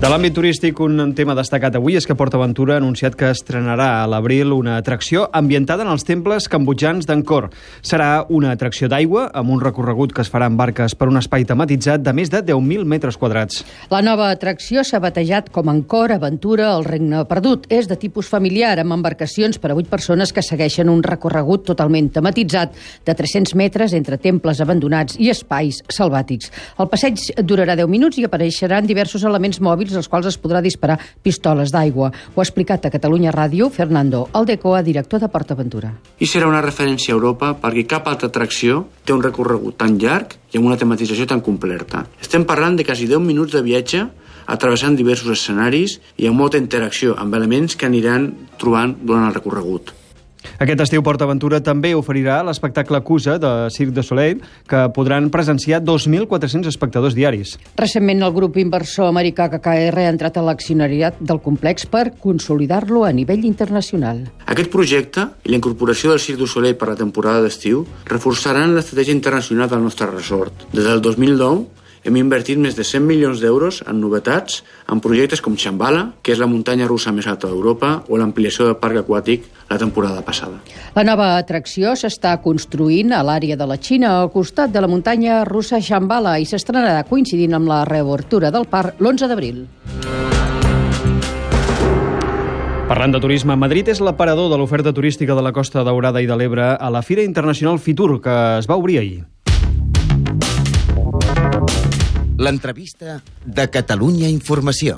De l'àmbit turístic, un tema destacat avui és que PortAventura ha anunciat que estrenarà a l'abril una atracció ambientada en els temples cambodjans d'Angkor. Serà una atracció d'aigua amb un recorregut que es farà en barques per un espai tematitzat de més de 10.000 metres quadrats. La nova atracció s'ha batejat com Angkor Aventura al Regne Perdut. És de tipus familiar, amb embarcacions per a 8 persones que segueixen un recorregut totalment tematitzat de 300 metres entre temples abandonats i espais selvàtics. El passeig durarà 10 minuts i apareixeran diversos elements mòbils als quals es podrà disparar pistoles d'aigua. Ho ha explicat a Catalunya Ràdio Fernando Aldecoa, director de PortAventura. I serà una referència a Europa perquè cap altra atracció té un recorregut tan llarg i amb una tematització tan completa. Estem parlant de quasi 10 minuts de viatge atravessant diversos escenaris i amb molta interacció amb elements que aniran trobant durant el recorregut. Aquest estiu PortAventura també oferirà l'espectacle Cusa de Cirque du Soleil, que podran presenciar 2.400 espectadors diaris. Recentment el grup inversor americà KKR ha entrat a l'accionariat del complex per consolidar-lo a nivell internacional. Aquest projecte i la incorporació del Cirque du Soleil per la temporada d'estiu reforçaran l'estratègia internacional del nostre resort. Des del 2009 hem invertit més de 100 milions d'euros en novetats, en projectes com Shambhala, que és la muntanya russa més alta d'Europa, o l'ampliació del parc aquàtic la temporada passada. La nova atracció s'està construint a l'àrea de la Xina, al costat de la muntanya russa Shambhala, i s'estrenarà coincidint amb la reobertura del parc l'11 d'abril. Parlant de turisme, Madrid és l'aparador de l'oferta turística de la Costa Daurada i de l'Ebre a la Fira Internacional Fitur, que es va obrir ahir. L'entrevista de Catalunya Informació.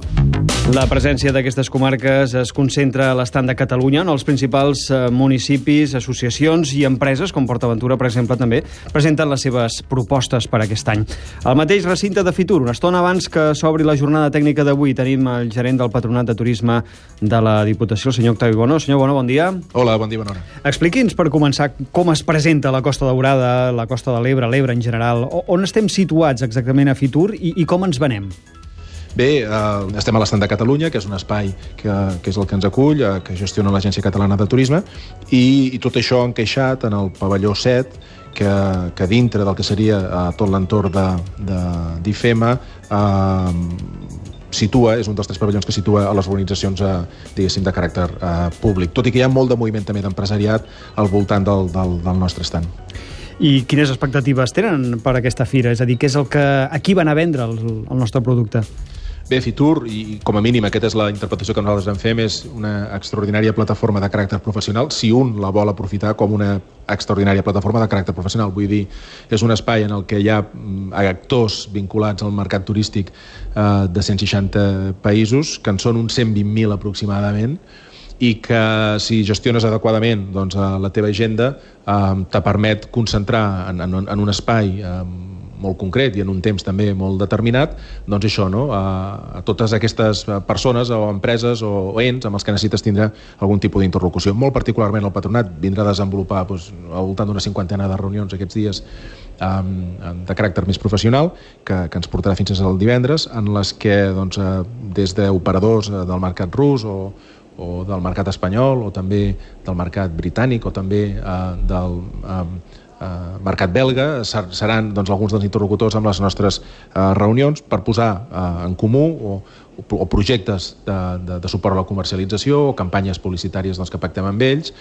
La presència d'aquestes comarques es concentra a l'estand de Catalunya en els principals municipis, associacions i empreses, com PortAventura, per exemple, també presenten les seves propostes per aquest any. Al mateix recinte de Fitur, una estona abans que s'obri la jornada tècnica d'avui, tenim el gerent del Patronat de Turisme de la Diputació, el senyor Octavi Bono. Senyor Bono, bon dia. Hola, bon dia, bona hora. Expliqui'ns, per començar, com es presenta la Costa Daurada, la Costa de l'Ebre, l'Ebre en general. On estem situats exactament a Fitur i com ens venem? Bé, estem a l'estand de Catalunya, que és un espai que és el que ens acull, que gestiona l'Agència Catalana de Turisme, i tot això encaixat en el pavelló 7, que dintre del que seria tot l'entorn d'IFEMA situa, és un dels 3 pavellons que situa a les organitzacions, diguéssim, de caràcter públic, tot i que hi ha molt de moviment també d'empresariat al voltant del nostre stand. I quines expectatives tenen per aquesta fira? És a dir, què és el que aquí van a vendre el nostre producte? Bé, Fitur, i com a mínim aquesta és la interpretació que nosaltres en fem, és una extraordinària plataforma de caràcter professional, si un la vol aprofitar com una extraordinària plataforma de caràcter professional. Vull dir, és un espai en el que hi ha actors vinculats al mercat turístic de 160 països, que en són uns 120.000 aproximadament, i que si gestiones adequadament doncs, la teva agenda te permet concentrar en un espai molt concret i en un temps també molt determinat, doncs això, no? A totes aquestes persones o empreses o ens amb els que necessites tindre algun tipus d'interlocució. Molt particularment el Patronat vindrà a desenvolupar al voltant d'una 50ena de reunions aquests dies de caràcter més professional, que ens portarà fins al divendres, en les que doncs, des d'operadors del mercat rus o del mercat espanyol, o també del mercat britànic, o també del mercat belga, seran doncs, alguns dels interlocutors amb les nostres reunions per posar en comú o projectes de suport a la comercialització o campanyes publicitàries doncs, que pactem amb ells.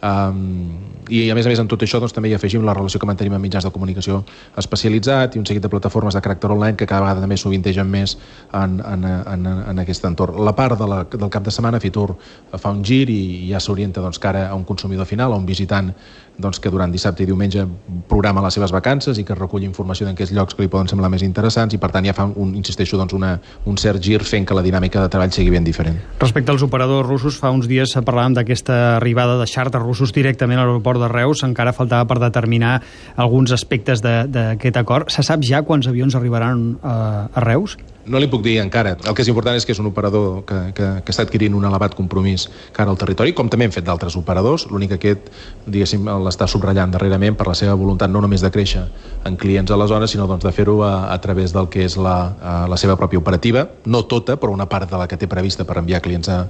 I a més en tot això doncs, també hi afegim la relació que mantenim amb mitjans de comunicació especialitzat i un seguit de plataformes de caràcter online que cada vegada també sovintegen més en aquest entorn. La part del cap de setmana Fitur fa un gir i ja s'orienta doncs, cara a un consumidor final, a un visitant doncs, que durant dissabte i diumenge programa les seves vacances i que recull informació d'aquells llocs que li poden semblar més interessants, i per tant ja fa insisteixo, doncs, un cert gir fent que la dinàmica de treball sigui ben diferent. Respecte als operadors russos, fa uns dies parlàvem d'aquesta arribada de xàrters russos directament a l'aeroport de Reus. Encara faltava per determinar alguns aspectes d'aquest acord. Se sap ja quants avions arribaran a Reus? No li puc dir encara. El que és important és que és un operador que està adquirint un elevat compromís cara al territori, com també hem fet d'altres operadors. L'únic que aquest, diguéssim, l'està subratllant darrerament per la seva voluntat no només de créixer en clients a la zona, sinó doncs, de fer-ho a través del que és la seva pròpia operativa. No tota, però una part de la que té prevista per enviar clients a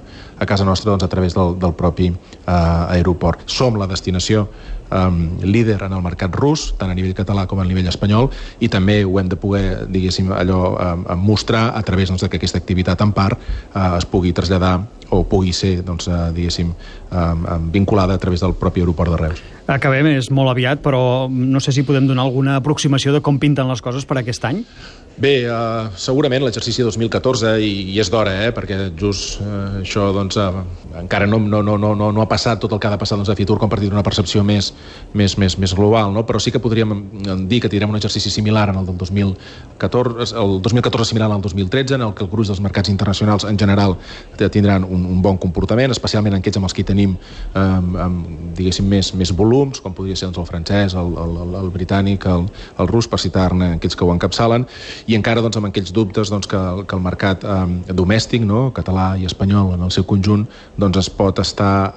casa nostra doncs, a través del propi aeroport. Som la destinació líder en el mercat rus, tant a nivell català com a nivell espanyol, i també ho hem de poder, diguéssim, mostrar a través que aquesta activitat en part es pugui traslladar o pugui ser, diguéssim, vinculada a través del propi aeroport de Reus. Acabem, és molt aviat, però no sé si podem donar alguna aproximació de com pinten les coses per aquest any. Bé, segurament l'exercici 2014, i és d'hora, perquè just això encara no ha passat tot el que ha de passar a Fitur com per tenir una percepció més global, no? Però sí que podríem dir que tindrem un exercici similar en el del 2014, el 2014 similar al 2013, en el que el gruix dels mercats internacionals en general tindran un bon comportament, especialment en aquells amb els que tenim, diguéssim, més volums, com podria ser el francès, el britànic, el rus, per citar-ne aquells que ho encapçalen, i encara amb aquells dubtes que el mercat domèstic, català i espanyol en el seu conjunt, es pot estar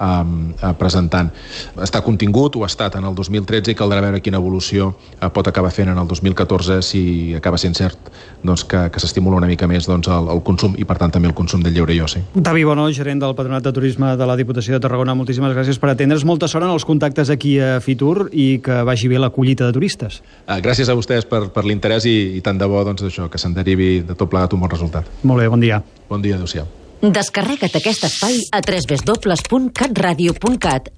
presentant. Està contingut, ho ha estat en el 2013, i caldrà veure quina evolució pot acabar fent en el 2014 si acaba sent cert que s'estimula una mica més el consum i per tant també el consum del lleure i oci. David Bonó, gerent del Patronat de Turisme de la Diputació de Tarragona, moltíssimes gràcies per atendre's. Molta sort en els contactes aquí a Fitur i que vagi bé la collita de turistes. Gràcies a vostès per l'interès i tant de bo això, que se'n derivi de tot plegat un bon resultat. Molt bé, bon dia. Bon dia, adéu-siau. Descarrega't aquest espai a www.catradio.cat/Tarragona.